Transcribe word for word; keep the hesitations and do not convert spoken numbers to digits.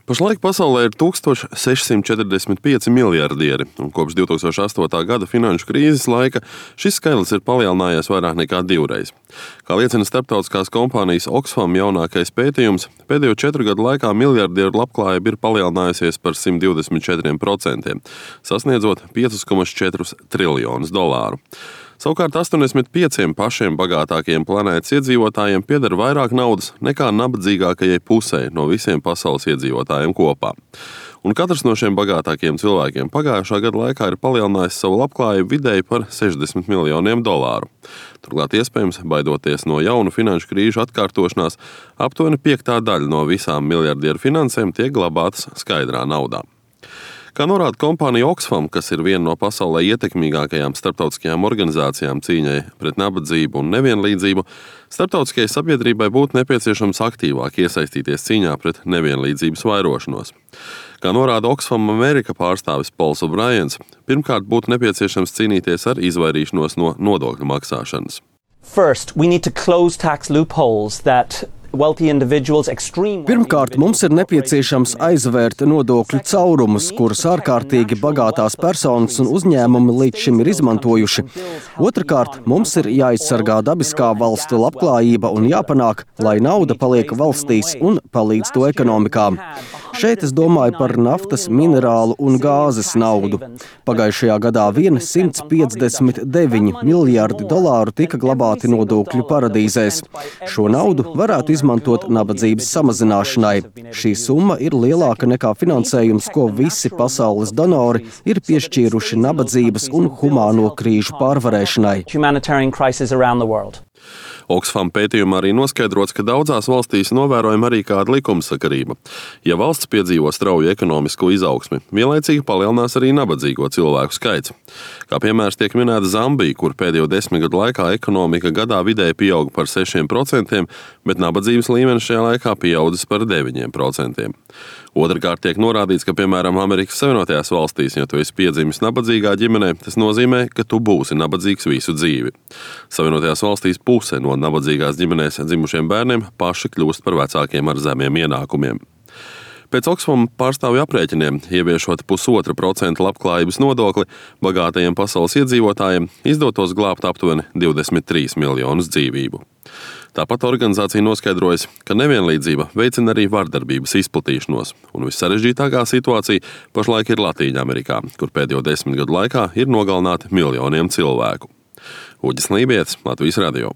Pašlaik pasaulē ir tūkstoš sešsimt četrdesmit pieci miljardieri, un kopš divi tūkstoši astotā gada finanšu krīzes laika šis skaitlis ir palielinājies vairāk nekā divreiz. Kā liecina starptautiskās kompānijas Oxfam jaunākais pētījums, pēdējo četru gadu laikā miljardieru labklājība ir palielinājusies par simt divdesmit četriem procentiem, sasniedzot piecus komats četrus triljonus dolāru. Savukārt astoņdesmit pieciem pašiem bagātākajiem planētas iedzīvotājiem pieder vairāk naudas nekā nabadzīgākajai pusei no visiem pasaules iedzīvotājiem kopā. Un katrs no šiem bagātākajiem cilvēkiem pagājušā gada laikā ir palielinājis savu labklājību vidēji par sešdesmit miljoniem dolāru. Turklāt iespējams, baidoties no jaunu finanšu krīžu atkārtošanās, aptuveni piektā daļa no visām miljardieru finansēm tiek glabātas skaidrā naudā. Kā norāda kompānija Oxfam, kas ir viena no pasaulē ietekmīgākajām starptautiskajām organizācijām cīņai pret nabadzību un nevienlīdzību, starptautiskajai sabiedrībai būtu nepieciešams aktīvāk iesaistīties cīņā pret nevienlīdzības vairošanos. Kā norāda Oxfam Amerika pārstāvis Pols O'Briens, pirmkārt būtu nepieciešams cīnīties ar izvairīšanos no nodokļu maksāšanas. First, we need to close tax loopholes that Pirmkārt, mums ir nepieciešams aizvērt nodokļu caurumus, kurus ārkārtīgi bagātās personas un uzņēmumi līdz šim ir izmantojuši. Otrakārt, mums ir jāizsargā dabiskā valstu labklājība un jāpanāk, lai nauda paliek valstīs un palīdz to ekonomikām. Šeit es domāju par naftas, minerālu un gāzes naudu. Pagājušajā gadā vien simts piecdesmit deviņi miljardi dolāru tika glabāti nodokļu paradīzēs. Šo naudu varētu izmantot nabadzības samazināšanai. Šī summa ir lielāka nekā finansējums, ko visi pasaules donori ir piešķīruši nabadzības un humāno krīžu pārvarēšanai. Oxfam pētījumā arī noskaidrots, ka daudzās valstīs novērojama arī kāda likumsakarība. Ja valsts piedzīvo strauju ekonomisko izaugsmi, vienlaicīgi palielinās arī nabadzīgo cilvēku skaits. Kā piemērs tiek minēta Zambija, kur pēdējo desmit gadu laikā ekonomika gadā vidēji pieauga par sešiem procentiem, bet nabadzības līmenis šajā laikā pieaudzis par deviņiem procentiem. Otrakārt tiek norādīts, ka, piemēram, Amerikas Savienotajās valstīs, ja tu esi piedzimis nabadzīgā ģimenē, tas nozīmē, ka tu būsi nabadzīgs visu dzīvi. Savienotajās valstīs puse no nabadzīgās ģimenēs dzimušiem bērniem paši kļūst par vecākiem ar zemiem ienākumiem. Pēc Oxfam pārstāvju aprēķiniem, ieviešot pusotra procenta labklājības nodokli, bagātajiem pasaules iedzīvotājiem izdotos glābt aptuveni divdesmit trīs miljonus dzīvību. Tāpat organizācija noskaidrojas, ka nevienlīdzība veicina arī vardarbības izplatīšanos, un vissarežģītākā situācija pašlaik ir Latīņamerikā, kur pēdējo desmit gadu laikā ir nogalināti miljoniem cilvēku. Uģis Lībietis, Latvijas radio.